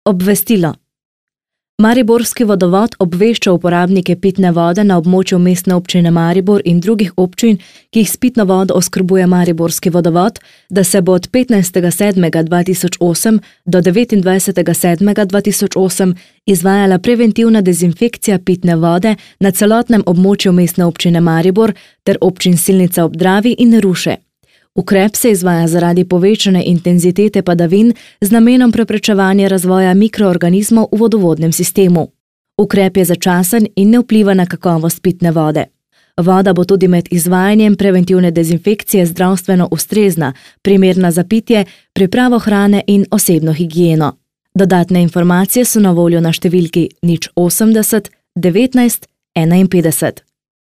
Obvestilo. Mariborski vodovod obvešča uporabnike pitne vode na območju Mestne občine Maribor in drugih občin, ki jih s pitno vodo oskrbuje Mariborski vodovod, da se bo od 15.7.2008 do 29.7.2008 izvajala preventivna dezinfekcija pitne vode na celotnem območju Mestne občine Maribor ter občin Silnica ob Dravi in Ruše. Ukrep se izvaja zaradi povečane intenzitete padavin z namenom preprečevanja razvoja mikroorganizmov v vodovodnem sistemu. Ukrep je začasen in ne vpliva na kakovost pitne vode. Voda bo tudi med izvajanjem preventivne dezinfekcije zdravstveno ustrezna, primerna za pitje, pripravo hrane in osebno higieno. Dodatne informacije so na voljo na številki 080 19 51.